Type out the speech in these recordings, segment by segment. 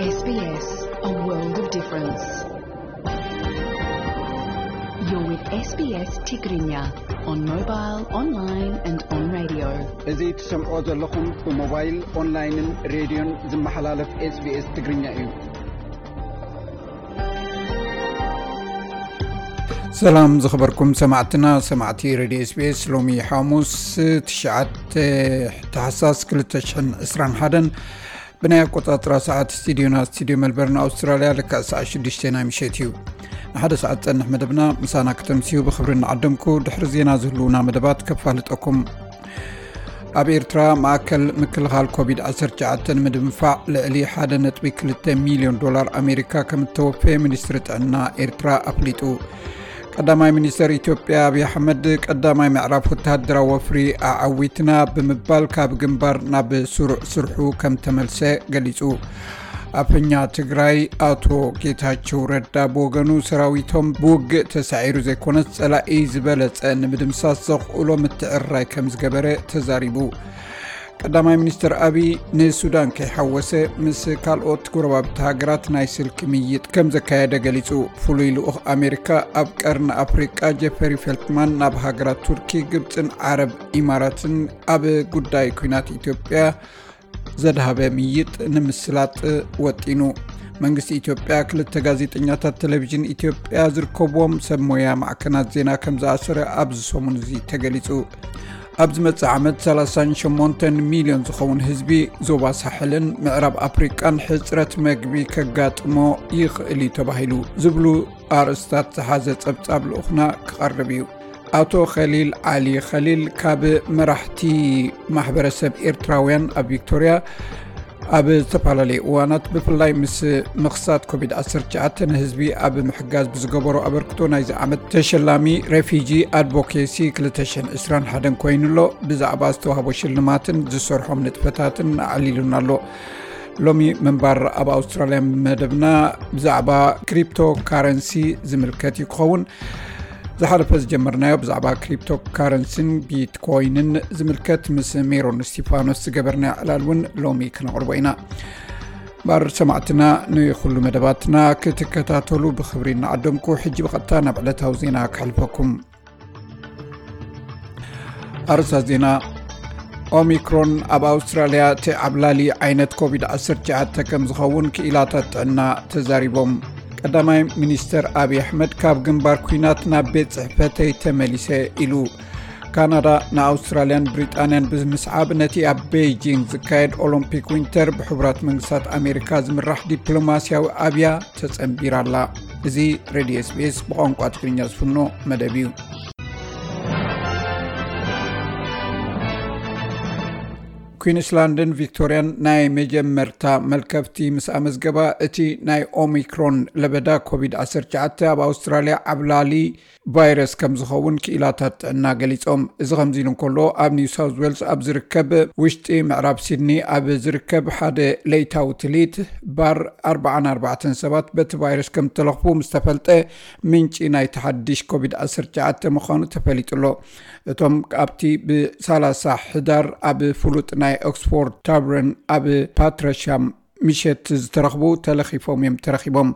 S B S, a world of difference. You're with S B S Tigrinya on mobile, online and on radio. እዚ ትሰምዖ ዘለኹም ብሞባይል፣ ኦንላይንን ሬድዮን ዝመሓላለፍ SBS ትግርኛ እዩ። ሰላም ዝኸበርኩም ሰማዕትና፣ ሰማዕቲ ሬድዮ SBS። ሎሚ ሓሙስ ትሽዓተ ታሕሳስ ክልተ ሽሕን ዕስራን ሓደን ብናይ ኣቆጻጽራ ሰዓት ስቱዲዮና፣ ስቱዲዮ መልበርን ኣውስትራልያ፣ ልክዕ ሰዓት ሽዱሽተ ናይ ምሸት እዩ። ንሓደ ሰዓት ጸንሕ መደብና ምሳና ክተምስዩ ብኽብሪ እናዓደምኩ፣ ድሕሪ ዜና ዝህልውና መደባት ከፋልጠኩም። ኣብ ኤርትራ ማእከል ምክልኻል ኮቪድ ዓሰርተ ትሽዓተ ንምድንፋዕ ልዕሊ ሓደ ነጥቢ ክልተ ሚልዮን ዶላር ኣሜሪካ ከም እተወፈየ ሚኒስትሪ ጥዕና ኤርትራ ኣፍሊጡ። ቀዳማይ ሚኒስተር ኢትዮጵያ ኣብይ ኣሕመድ ቀዳማይ ምዕራፍ ወተሃደራዊ ወፍሪ ኣዓዊትና ብምባል ካብ ግንባር ናብ ስሩዕ ስርሑ ከም ተመልሰ ገሊጹ። ኣፈኛ ትግራይ ኣቶ ጌታቸው ረዳ ብወገኑ ሰራዊቶም ብውግእ ተሳዒሩ ዘይኮነስ ጸላኢ ዝበለጸ ንምድምሳስ ዘኽእሎ ምትዕርራይ ከም ዝገበረ ተዛሪቡ። ቀዳማይ ሚኒስትር ኣቢይ ንሱዳን ከይሓወሰ ምስ ካልኦት ጎረባብቲ ሃገራት ናይ ስልኪ ምይይጥ ከም ዘካየደ ገሊጹ። ፍሉይ ልኡኽ ኣሜሪካ ኣብ ቀርኒ ኣፍሪቃ ጀፈሪ ፌልትማን ናብ ሃገራት ቱርኪ፣ ግብጽን ዓረብ ኢማራትን ኣብ ጉዳይ ኲናት ኢትዮጵያ ዘድሃበ ምይይጥ ንምስላጥ ወጢኑ። መንግስቲ ኢትዮጵያ ክልተ ጋዜጠኛታት ቴሌቪዥን ኢትዮጵያ ዝርከብዎም ሰብ ሞያ ማዕከናት ዜና ከም ዝኣሰረ ኣብዚ ሰሙን እዚ ተገሊጹ። ኣብ ዝመጽእ ዓመት ሰላሳን ሸሞንተን ሚልዮን ዝኸውን ህዝቢ ዞባ ሳሕልን ምዕራብ ኣፍሪቃን ሕጽረት መግቢ ከጋጥሞ ይኽእል እዩ ተባሂሉ ዝብሉ ኣርእስታት ዝሓዘ ጸብጻብ ልኡኽና ክቐርብ እዩ። ኣቶ ኸሊል ዓሊ ኸሊል ካብ መራሕቲ ማሕበረሰብ ኤርትራውያን ኣብ ቪክቶርያ ኣብ ዝተፈላለዩ እዋናት ብፍላይ ምስ ምኽሳት ኮቪድ ዓሰርተ ትሽዓተ ንህዝቢ ኣብ ምሕጋዝ ብዝገበሮ ኣበርክቶ ናይዚ ዓመት ተሸላሚ ሬፊጂ ኣድቮኬሲ ክልተ ሽሕን ዕስራን ሓደን ኮይኑ ኣሎ። ብዛዕባ ዝተዋህቦ ሽልማትን ዝሰርሖም ንጥፈታትን ኣዕሊሉና ኣሎ። ሎሚ ምንባር ኣብ ኣውስትራልያ መደብና ብዛዕባ ክሪፕቶ ካረንሲ ዝምልከት እዩ ክኸውን። ዝሓለፈ ዝጀመርናዮ ብዛዕባ ክሪፕቶ ካረንሲን ቢትኮይንን ዝምልከት ምስ ሜሮን እስቲፋኖስ ዝገበርናዮ ዕላል እውን ሎሚ ክነቕርቦ ኢና። እምበር ሰማዕትና ንኩሉ መደባትና ክትከታተሉ ብኽብሪ እናዓደምኩ፣ ሕጂ ብቐጥታ ናብ ዕለታዊ ዜና ከሕልፈኩም። ኣርእስታት ዜና። ኦሚክሮን ኣብ ኣውስትራልያ እቲ ዓብላሊ ዓይነት ኮቪድ ዓሰርተ ትሽዓተ ከም ዝኸውን ክኢላታት ጥዕና ተዛሪቦም። ቀዳማይ ሚኒስተር ኣብይ ኣሕመድ ካብ ግንባር ኲናት ናብ ቤት ጽሕፈተይ ተመሊሰ ኢሉ። ካናዳ ንኣውስትራልያን ብሪጣንያን ብምስዓብ ነቲ ኣብ ቤይጂንግ ዝካየድ ኦሎምፒክ ዊንተር ብሕቡራት መንግስታት ኣሜሪካ ዝምራሕ ዲፕሎማስያዊ ኣብያ ተጸንቢራ ኣላ። እዚ ሬድዮ SBS ብቋንቋ ትግርኛ ዝፍኖ መደብ እዩ። ኲንስላንድን ቪክቶርያን ናይ መጀመርታ መልከፍቲ ምስ ኣመዝገባ፣ እቲ ናይ ኦሚክሮን ለበዳ ኮቪድ ዓሰርተ ትሽዓተ ኣብ ኣውስትራልያ ዓብላሊ ቫይረስ ከም ዝኸውን ክኢላታት ጥዕና ገሊጾም። እዚ ከምዚ ኢሉ እንከሎ፣ ኣብ ኒው ሳውዝ ዌልስ ኣብ ዝርከብ ውሽጢ ምዕራብ ሲድኒ ኣብ ዝርከብ ሓደ ለይታዊ ትልሂት ባር ኣርባዓን ኣርባዕተን ሰባት በቲ ቫይረስ ከም እተለኽፉ ምስ ተፈልጠ፣ ምንጪ ናይቲ ሓድሽ ኮቪድ ዓሰርተ ትሽዓተ ምዃኑ ተፈሊጡ ኣሎ። እቶም ኣብቲ ብሰላሳ ሕዳር ኣብ ፍሉጥ ናይ ኦክስፎርድ ታብረን ኣብ ፓትረሻም ምሸት ዝተረኽቡ ተለኺፎም እዮም ተረኺቦም።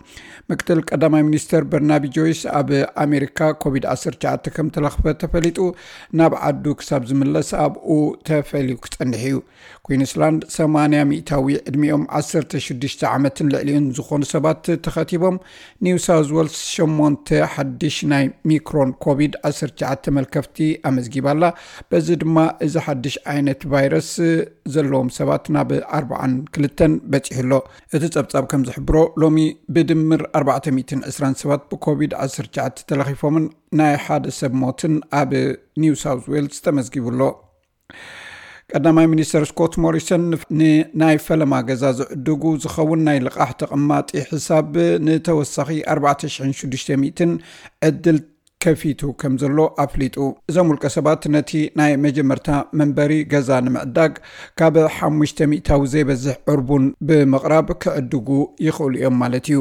ምክትል ቀዳማይ ሚኒስተር በርናቢ ጆይስ ኣብ ኣሜሪካ ኮቪድ ዓሰርተ ትሽዓተ ከም ተለኽፈ ተፈሊጡ ናብ ዓዱ ክሳብ ዝምለስ ኣብኡ ተፈልዩ ክጸንሕ እዩ። ኲንስላንድ ሰማንያ ሚእታዊ ዕድሚኦም ዓሰርተ ሽዱሽተ ዓመትን ልዕሊኡን ዝኾኑ ሰባት ተኸቲቦም። ኒው ሳውዝ ዌልስ ሸሞንተ ሓድሽ ናይ ሚክሮን ኮቪድ ዓሰርተ ትሽዓተ መልከፍቲ ኣመዝጊባ ኣላ። በዚ ድማ እዚ ሓድሽ ዓይነት ቫይረስ ዘለዎም ሰባት ናብ ኣርባዓን ክልተን በጺሑ ኣሎ። እቲ ጸብጻብ ከም ዝሕብሮ፣ ሎሚ ብድምር ኣርባዕተ ሚእትን ዕስራን ሰባት ብኮቪድ ዓሰርተ ትሽዓተ ተለኺፎምን ናይ ሓደ ሰብ ሞትን ኣብ ኒው ሳውዝ ዌልስ ተመዝጊቡ ኣሎ። ቀዳማይ ሚኒስተር ስኮት ሞሪሰን ንናይ ፈለማ ገዛ ዝዕድጉ ዝኸውን ናይ ልቓሕ ተቐማጢ ሕሳብ ንተወሳኺ ኣርባዕተ ሽሕን ሽዱሽተ ሚእትን ዕድል ከፊቱ ከም ዘሎ ኣፍሊጡ። እዞም ውልቀ ሰባት ነቲ ናይ መጀመርታ መንበሪ ገዛ ንምዕዳግ ካብ ሓሙሽተ ሚእታዊ ዘይበዝሕ ዕርቡን ብምቕራብ ክዕድጉ ይኽእሉ እዮም ማለት እዩ።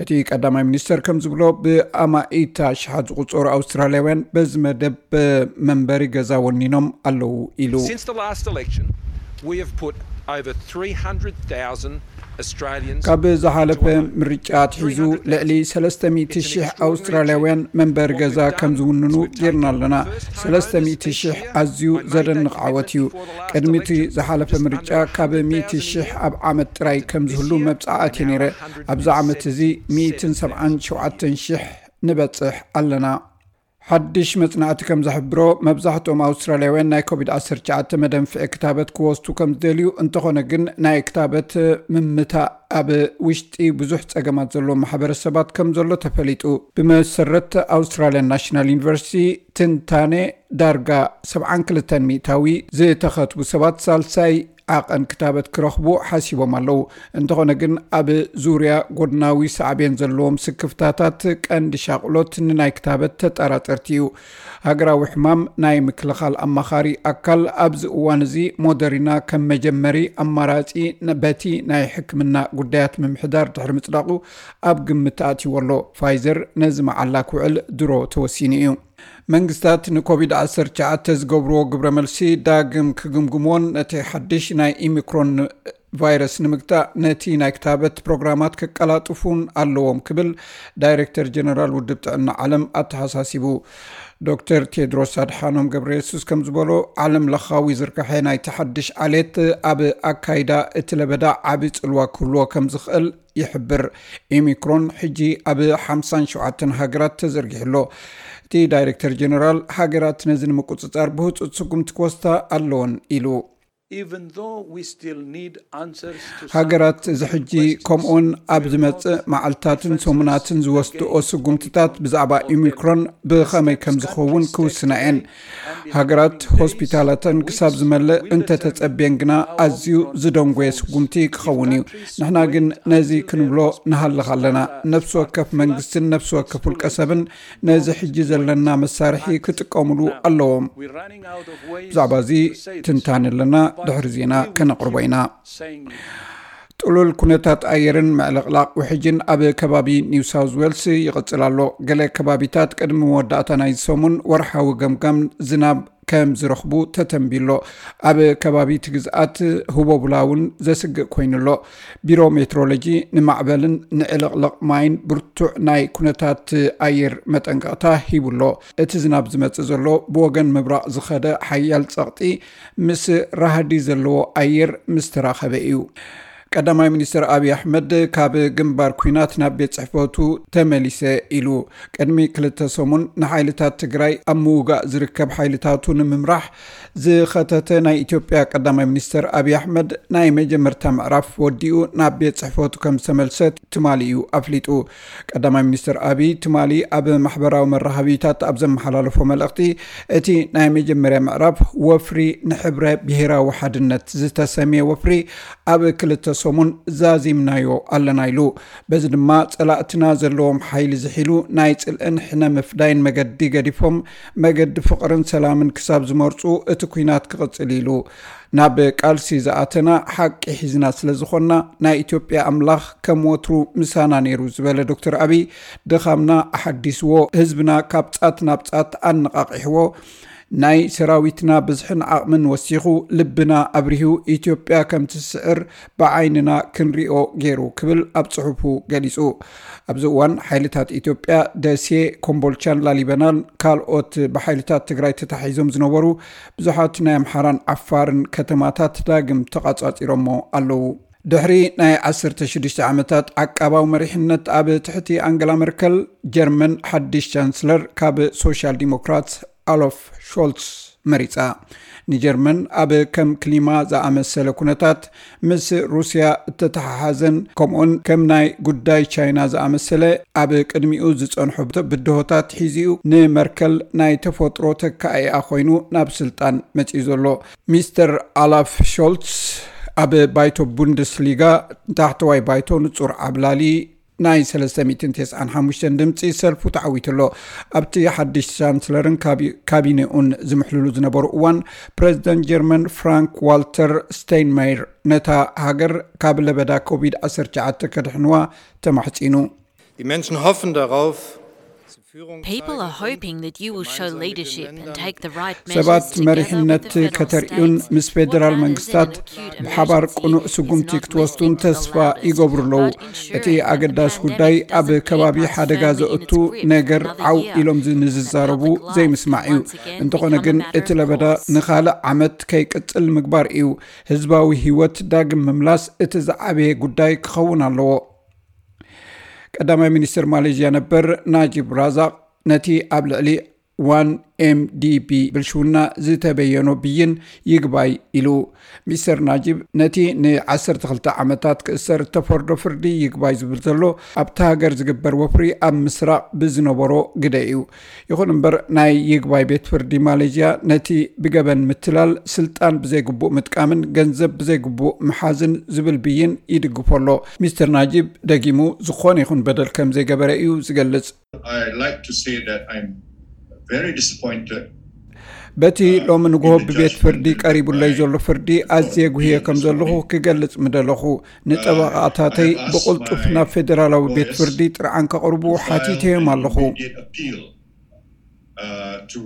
እቲ ቀዳማይ ሚኒስተር ከም ዝብሎ፣ ብኣማኢት ኣሽሓት ዝቑጸሩ ኣውስትራልያውያን በዚ መደብ መንበሪ ገዛ ወኒኖም ኣለዉ ኢሉ። Since the last election, we have put over three hundred thousand ካብ ዝሓለፈ ምርጫ ኣትሒዙ ልዕሊ ሰለስተ ሚእቲ ሺሕ ኣውስትራልያውያን መንበሪ ገዛ ከም ዝውንኑ ጌርና ኣለና። ሰለስተ ሚእቲ ሺሕ ኣዝዩ ዘደንቕ ዓወት እዩ። ቅድሚ እቲ ዝሓለፈ ምርጫ ካብ ሚእቲ ሺሕ ኣብ ዓመት ጥራይ ከም ዝህሉ መብጻዓ ኣትየ ነይረ። ኣብዚ ዓመት እዚ ሚእትን ሰብዓን ሸውዓተን ሺሕ ንበጽሕ ኣለና። ሓድሽ መጽናዕቲ ከም ዝሕብሮ፣ መብዛሕትኦም ኣውስትራልያውያን ናይ ኮቪድ ዓሰርተ ትሽዓተ መደንፍዒ ክታበት ክወስዱ ከም ዝደልዩ፣ እንተኾነ ግን ናይ ክታበት ምምታእ ኣብ ውሽጢ ብዙሕ ጸገማት ዘለዎም ማሕበረሰባት ከም ዘሎ ተፈሊጡ። ብመሰረት ኣውስትራልያን ናሽናል ዩኒቨርሲቲ ትንታነ፣ ዳርጋ ሰብዓን ክልተን ሚእታዊ ዝተኸትቡ ሰባት ሳልሳይ ዓቐን ክታበት ክረኽቡ ሓሲቦም ኣለዉ። እንተኾነ ግን ኣብ ዙርያ ጎድናዊ ሳዕቤን ዘለዎም ስክፍታታት ቀንዲ ሻቕሎት ንናይ ክታበት ተጠራጠርቲ እዩ። ሃገራዊ ሕማም ናይ ምክልኻል ኣማኻሪ ኣካል ኣብዚ እዋን እዚ ሞደሪና ከም መጀመሪ ኣማራጺ ነ-፣ በቲ ናይ ሕክምና ጉዳያት ምምሕዳር ድሕሪ ምጽዳቑ ኣብ ግምት ኣትይዎ ኣሎ። ፋይዘር ነዚ መዓላ ክውዕል ድሮ ተወሲኑ እዩ። መንግስታት ንኮቪድ ዓሰርተ ትሽዓተ ዝገብርዎ ግብረ መልሲ ዳግም ክግምግሞን ነቲ ሓድሽ ናይ ኢሚክሮን ቫይረስ ንምግታእ ነቲ ናይ ክታበት ፕሮግራማት ከቀላጥፉን ኣለዎም ክብል ዳይሬክተር ጀነራል ውድብ ጥዕና ዓለም ኣተሓሳሲቡ። ዶክተር ቴድሮስ ኣድሓኖም ገብረ የሱስ ከም ዝበሎ፣ ዓለም ለኻዊ ዝርግሐ ናይቲ ሓድሽ ዓሌት ኣብ ኣካይዳ እቲ ለበዳ ዓቢ ጽልዋ ክህልዎ ከም ዝኽእል ይሕብር። ኢሚክሮን ሕጂ ኣብ ሓምሳን ሸውዓተን ሃገራት ተዘርጊሑ ኣሎ። እቲ ዳይሬክተር ጀነራል፣ ሃገራት ነዚ ንምቁጽጻር ብህጹጽ ስጉምቲ ክወስዳ ኣለወን ኢሉ። Even though we still need answers to some ሃገራት እዚ ሕጂ ከምኡውን ኣብ ዝመጽእ መዓልታትን ሰሙናትን ዝወስድኦ ስጉምትታት ብዛዕባ ኢሚክሮን ብኸመይ ከም ዝኸውን ክውስና እየን። ሃገራት ሆስፒታላተን ክሳብ ዝመልእ እንተተጸብየን ግና ኣዝዩ ዝደንጎየ ስጉምቲ ክኸውን እዩ። ንሕና ግን ነዚ ክንብሎ ንሃልኽ ኣለና። ነፍሲ ወከፍ መንግስትን ነፍሲ ወከፍ ውልቀ ሰብን ነዚ ሕጂ ዘለና መሳርሒ ክጥቀሙሉ ኣለዎም። ብዛዕባ እዚ ትንታነ ኣለና። ድሕሪ ዜና ከነቕርቦ ኢና። ጥሉል ኩነታት ኣየርን ምዕልቕላቕ ውሕጅን ኣብ ከባቢ ኒው ሳውዝ ዌልስ ይቕጽል ኣሎ። ገለ ከባቢታት ቅድሚ መወዳእታ ናይዚ ሰሙን ወርሓዊ ገምጋም ዝናብ ከም ዝረኽቡ ተተንቢሎ። ኣብ ከባቢ እቲ ግዝኣት ህቦብላ እውን ዘስግእ ኮይኑ ኣሎ። ቢሮ ሜትሮሎጂ ንማዕበልን ንዕልቕልቕ ማይን ብርቱዕ ናይ ኩነታት ኣየር መጠንቀቕታ ሂቡ ኣሎ። እቲ ዝናብ ዝመጽእ ዘሎ ብወገን ምብራቕ ዝኸደ ሓያል ጸቕጢ ምስ ራህዲ ዘለዎ ኣየር ምስ ተራኸበ እዩ። ቀዳማይ ሚኒስትር ኣብይ ኣሕመድ ካብ ግንባር ኲናት ናብ ቤት ጽሕፈቱ ተመሊሰ ኢሉ። ቅድሚ ክልተ ሰሙን ንሓይልታት ትግራይ ኣብ ምውጋእ ዝርከብ ሓይልታቱ ንምምራሕ ዝኸተተ ናይ ኢትዮጵያ ቀዳማይ ሚኒስትር ኣብይ ኣሕመድ ናይ መጀመርታ ምዕራፍ ወዲኡ ናብ ቤት ጽሕፈቱ ከም ዝተመልሰ ትማሊ እዩ ኣፍሊጡ። ቀዳማይ ሚኒስትር ኣብይ ትማሊ ኣብ ማሕበራዊ መራኸቢታት ኣብ ዘመሓላለፎ መልእኽቲ፣ እቲ ናይ መጀመርያ ምዕራፍ ወፍሪ ንሕብረ ብሄራዊ ሓድነት ዝተሰምየ ወፍሪ ኣብ ክልተ ሰሙን ዛዚምናዮ ኣለና ኢሉ። በዚ ድማ ጸላእትና ዘለዎም ሓይሊ ዝሒሉ ናይ ጽልእን ሕነ ምፍዳይን መገዲ ገዲፎም መገዲ ፍቕርን ሰላምን ክሳብ ዝመርጹ እቲ ኲናት ክቕጽል ኢሉ። ናብ ቃልሲ ዝኣተና ሓቂ ሒዝና ስለ ዝኾንና፣ ናይ ኢትዮጵያ ኣምላኽ ከም ወትሩ ምሳና ነይሩ ዝበለ ዶክተር ኣብይ፣ ድኻምና ኣሓዲስዎ፣ ህዝብና ካብ ጻት ናብ ጻት ኣነቓቒሕዎ፣ ናይ ሰራዊትና ብዝሕን ዓቕምን ወሲኹ፣ ልብና ኣብሪሁ፣ ኢትዮጵያ ከም ትስዕር ብዓይንና ክንሪኦ ገይሩ ክብል ኣብ ጽሑፉ ገሊጹ። ኣብዚ እዋን ሓይልታት ኢትዮጵያ ደሴ፣ ኮምቦልቻን ላሊበናን ካልኦት ብሓይልታት ትግራይ ተታሒዞም ዝነበሩ ብዙሓት ናይ ኣምሓራን ዓፋርን ከተማታት ዳግም ተቓጻጺሮሞ ኣለዉ። ድሕሪ ናይ ዓሰርተ ሽዱሽተ ዓመታት ዓቃባዊ መሪሕነት ኣብ ትሕቲ ኣንገላ መርከል፣ ጀርመን ሓድሽ ቻንስለር ካብ ሶሻል ዲሞክራት ኣሎፍ ሾልትስ መሪጻ። ንጀርመን ኣብ ከም ክሊማ ዝኣመሰለ ኩነታት ምስ ሩስያ እተተሓሓዘን ከምኡን ከም ናይ ጉዳይ ቻይና ዝኣመሰለ ኣብ ቅድሚኡ ዝጸንሖ ብድሆታት ሒዚኡ ንመርከል ናይ ተፈጥሮ ተካኢኣ ኮይኑ ናብ ስልጣን መጺኡ ዘሎ። ሚስተር ኣላፍ ሾልትስ ኣብ ባይቶ ቡንደስሊጋ ታሕተዋይ ባይቶ ንጹር ዓብላሊ ናይ ሰለስተ ሚእትን ተስዓን ሓሙሽተን ድምጺ ሰልፉ ተዓዊቱ ኣሎ። ኣብቲ ሓድሽ ቻንስለርን ካቢ-፣ ካቢኔኡን ዝምሕልሉ ዝነበሩ እዋን፣ ፕሬዚደንት ጀርመን ፍራንክ ዋልተር ስቴይንማየር ነታ ሃገር ካብ ለበዳ ኮቪድ ዓሰርተ ትሽዓተ ከድሕንዋ ተማሕጺኑ። Die Menschen hoffen darauf, sie People are hoping that you will show leadership and take the right ሰባት measures together መሪሕነት with the federal ከተርእዩን states ምስ ፌደራል and gather መንግስታት the acute ብሓባር emergency ቅኑዕ is ስጉምቲ not ክትወስዱን restricting ተስፋ allowed, ይገብሩ ኣለዉ። but ensuring እቲ that the ኣገዳሲ pandemic ጉዳይ ኣብ doesn't keep ከባቢ us ሓደጋ firmly in ዘእቱ its grip for ነገር another ዓው year. ኢሎም ንዝዛረቡ Public life ዘይምስማዕ እዩ። once again እንተኾነ become a ግን matter እቲ of ለበዳ cost. ንኻልእ ዓመት ከይቅጽል ምግባር እዩ። ህዝባዊ ህይወት ዳግም ምምላስ እቲ ዝዓበየ ጉዳይ ክኸውን ኣለዎ። ቀዳማይ ሚኒስትር ማሌዥያ ነበር ናጂብ ራዛቅ ነቲ ኣብ ልዕሊ ዋን ኤምዲቢ ብልሽውና ዝተበየኖ ብይን ይግባይ ኢሉ። ሚስተር ናጂብ ነቲ ን12 ዓመታት ክእሰር እተፈርዶ ፍርዲ ይግባይ ዝብል ዘሎ ኣብቲ ሃገር ዝግበር ወፍሪ ኣብ ምስራቕ ብዝነበሮ ግደ እዩ። ይኹን እምበር ናይ ይግባይ ቤት ፍርዲ ማሌዥያ ነቲ ብገበን ምትላል፣ ስልጣን ብዘይግቡእ ምጥቃምን ገንዘብ ብዘይግቡእ ምሓዝን ዝብል ብይን ይድግፎ ኣሎ። ሚስተር ናጂብ ደጊሙ ዝኾነ ይኹን በደል ከም ዘይገበረ እዩ ዝገልጽ። I'd like to say that I'm very disappointed. በቲ ሎሚ ንግሆ ብቤት ፍርዲ ቀሪቡለይ ዘሎ ፍርዲ ኣዝየ ጉህየ ከም ዘለኹ ክገልጽ ምደለኹ። ንጠበቓታተይ ብቕልጡፍ ናብ ፌደራላዊ ቤት ፍርዲ ጥርዓን ከቕርቡ ሓቲተዮም ኣለኹ። Immediate appeal uh, to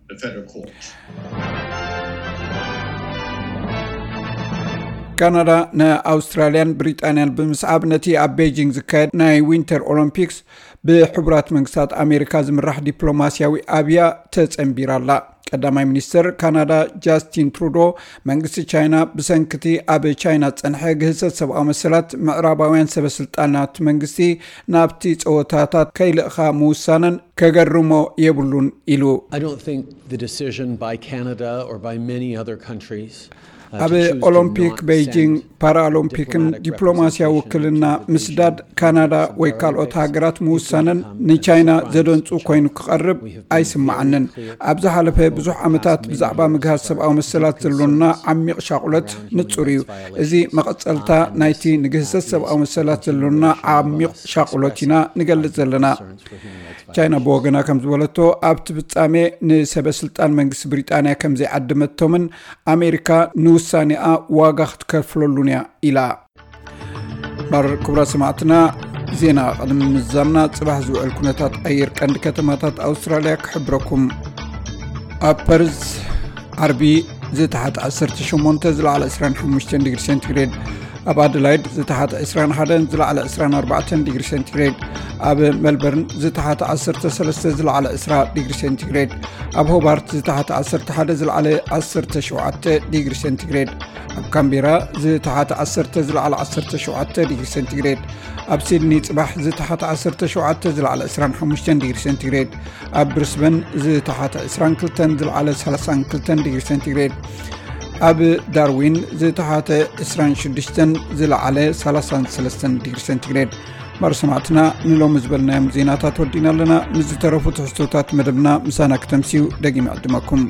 the federal court. ካናዳ ንኣውስትራልያን ብሪጣንያን ብምስዓብ ነቲ ኣብ ቤጂንግ ዝካየድ ናይ ዊንተር ኦሎምፒክስ ብሕቡራት መንግስታት ኣሜሪካ ዝምራሕ ዲፕሎማስያዊ ኣብያ ተጸንቢራ ኣላ። ቀዳማይ ሚኒስትር ካናዳ ጃስቲን ትሩዶ መንግስቲ ቻይና ብሰንክቲ ኣብ ቻይና ዝጸንሐ ግህሰት ሰብኣዊ መሰላት ምዕራባውያን ሰበ ስልጣናት መንግስቲ ናብቲ ጸወታታት ከይልእኻ ምውሳነን ከገርሞ የብሉን ኢሉ። I don't think the decision by Canada or by many other countries ኣብ ኦሎምፒክ ቤይጂንግ ፓራኦሎምፒክን ዲፕሎማስያዊ ውክልና ምስዳድ ካናዳ ወይ ካልኦት ሃገራት ምውሳነን ንቻይና ዘደንጹ ኮይኑ ክቐርብ ኣይስማዓንን። ኣብ ዝሓለፈ ብዙሕ ዓመታት ብዛዕባ ምግሃስ ሰብኣዊ መሰላት ዘሎና ዓሚቕ ሻቑለት ንጹር እዩ። እዚ መቐጸልታ ናይቲ ንግህሰት ሰብኣዊ መሰላት ዘሎና ዓሚቕ ሻቑለት ኢና ንገልጽ ዘለና። ቻይና ብወገና ከም ዝበለቶ ኣብቲ ፍጻሜ ንሰበ ስልጣን መንግስቲ ብሪጣንያ ከም ዘይዓደመቶምን ኣሜሪካ ንውሳኔኣ ዋጋ ክትከፍለሉን እያ ኢላ። ባር ክቡራት ሰማዕትና፣ ዜና ቅድሚ ምዛምና ጽባሕ ዝውዕል ኩነታት ኣየር ቀንዲ ከተማታት ኣውስትራልያ ክሕብረኩም። ኣብ ፐርዝ ዓርቢ ዝተሓተ 18 ዝለዓለ 25 ዲግሪ ሴንቲግሬድ፣ ኣብ ኣደላይድ ዝተሓተ 21 ዝለዓለ 24 ዲግሪ ሴንቲግሬድ፣ ኣብ ሜልበርን ዝተሓተ 13 ዝለዓለ 20 ዲግሪ ሴንቲግሬድ፣ ኣብ ሆባርት ዝተሓተ 11 ዝለዓለ 17 ዲግሪ ሴንቲግሬድ፣ ኣብ ካምቤራ ዝተሓተ 10 ዝለዓለ 17 ዲግሪ ሴንቲግሬድ፣ ኣብ ሲድኒ ጽባሕ ዝተሓተ 17 ዝለዓለ 25 ዲግሪ ሴንቲግሬድ፣ ኣብ ብሪስበን ዝተሓተ 22 ዝለዓለ 32 ዲግሪ ሴንቲግሬድ፣ ኣብ ዳርዊን ዝተሓተ 26 ዝለዓለ 33 ዲግሪ ሴንቲግሬድ። ማር ሰማዕትና፣ ንሎሚ ዝበልናዮም ዜናታት ወዲና ኣለና። ምስ ዝተረፉ ትሕዝቶታት መደብና ምሳና ክተምስዩ ደጊመ ዕድመኩም።